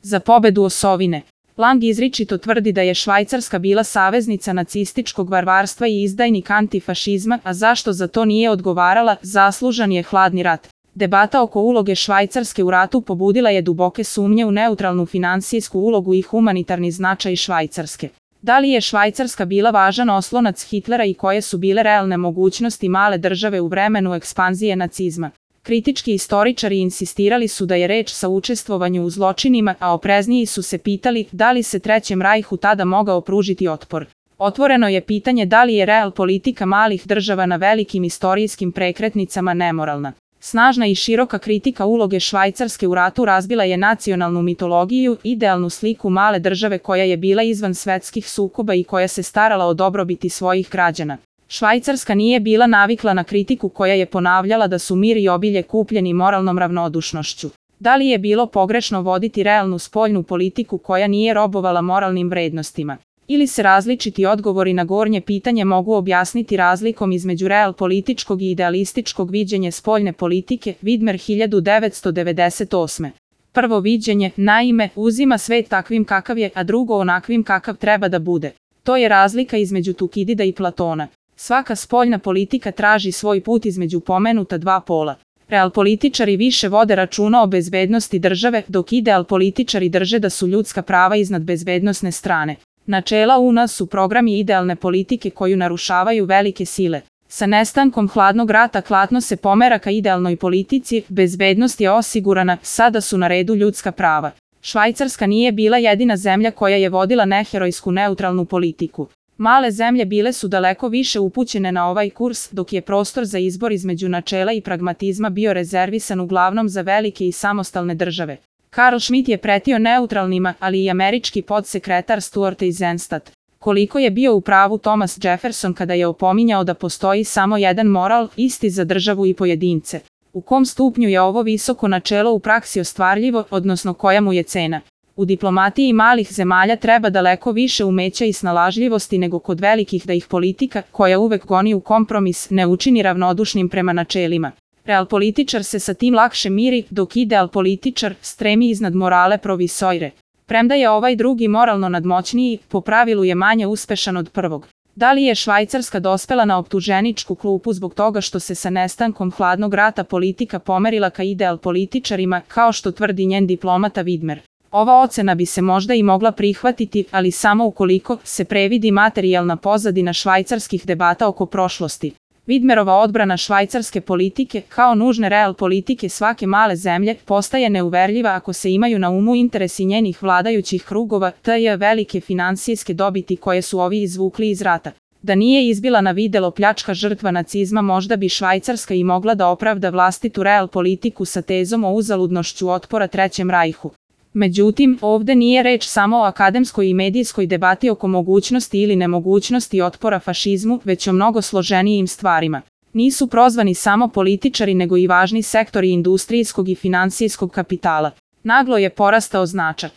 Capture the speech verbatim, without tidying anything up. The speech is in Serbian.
za pobedu osovine. Lang izričito tvrdi da je Švajcarska bila saveznica nacističkog varvarstva i izdajnik antifašizma, a zašto za to nije odgovarala, zaslužan je hladni rat. Debata oko uloge Švajcarske u ratu pobudila je duboke sumnje u neutralnu finansijsku ulogu i humanitarni značaj Švajcarske. Da li je Švajcarska bila važan oslonac Hitlera i koje su bile realne mogućnosti male države u vremenu ekspanzije nacizma? Kritički istoričari insistirali su da je reč sa učestvovanju u zločinima, a oprezniji su se pitali da li se Trećem rajhu tada mogao pružiti otpor. Otvoreno je pitanje da li je real politika malih država na velikim istorijskim prekretnicama nemoralna. Snažna i široka kritika uloge Švajcarske u ratu razbila je nacionalnu mitologiju, idealnu sliku male države koja je bila izvan svetskih sukoba i koja se starala o dobrobiti svojih građana. Švajcarska nije bila navikla na kritiku koja je ponavljala da su mir i obilje kupljeni moralnom ravnodušnošću. Da li je bilo pogrešno voditi realnu spoljnu politiku koja nije robovala moralnim vrednostima? Ili se različiti odgovori na gornje pitanje mogu objasniti razlikom između real političkog i idealističkog viđenja spoljne politike, Vidmer hiljadu devetsto devedeset osme. Prvo viđenje, naime, uzima svet takvim kakav je, a drugo onakvim kakav treba da bude. To je razlika između Tukidida i Platona. Svaka spoljna politika traži svoj put između pomenuta dva pola. Real političari više vode računa o bezbednosti države, dok ideal političari drže da su ljudska prava iznad bezbednosne strane. Načela U N A su programi idealne politike koju narušavaju velike sile. Sa nestankom hladnog rata klatno se pomera ka idealnoj politici, bezbednost je osigurana, sada su na redu ljudska prava. Švajcarska nije bila jedina zemlja koja je vodila neherojsku neutralnu politiku. Male zemlje bile su daleko više upućene na ovaj kurs, dok je prostor za izbor između načela i pragmatizma bio rezervisan uglavnom za velike i samostalne države. Karl Schmitt je pretio neutralnima, ali i američki podsekretar Stuart Eisenstadt. Koliko je bio u pravu Thomas Jefferson kada je opominjao da postoji samo jedan moral, isti za državu i pojedince? U kom stupnju je ovo visoko načelo u praksi ostvarljivo, odnosno koja mu je cena? U diplomatiji malih zemalja treba daleko više umeća i snalažljivosti nego kod velikih da ih politika, koja uvek goni u kompromis, ne učini ravnodušnim prema načelima. Real političar se sa tim lakše miri, dok ideal političar stremi iznad morale provisoire. Premda je ovaj drugi moralno nadmoćniji, po pravilu je manje uspešan od prvog. Da li je Švajcarska dospela na optuženičku klupu zbog toga što se sa nestankom hladnog rata politika pomerila ka ideal političarima, kao što tvrdi njen diplomata Vidmer? Ova ocena bi se možda i mogla prihvatiti, ali samo ukoliko se previdi materijalna pozadina švajcarskih debata oko prošlosti. Vidmerova odbrana švajcarske politike, kao nužne real politike svake male zemlje, postaje neuverljiva ako se imaju na umu interesi njenih vladajućih krugova, te velike finansijske dobiti koje su ovi izvukli iz rata. Da nije izbila na videlo pljačka žrtva nacizma, možda bi Švajcarska i mogla da opravda vlastitu real politiku sa tezom o uzaludnošću otpora Trećem rajhu. Međutim, ovde nije reč samo o akademskoj i medijskoj debati oko mogućnosti ili nemogućnosti otpora fašizmu, već o mnogo složenijim stvarima. Nisu prozvani samo političari nego i važni sektori industrijskog i finansijskog kapitala. Naglo je porastao značaj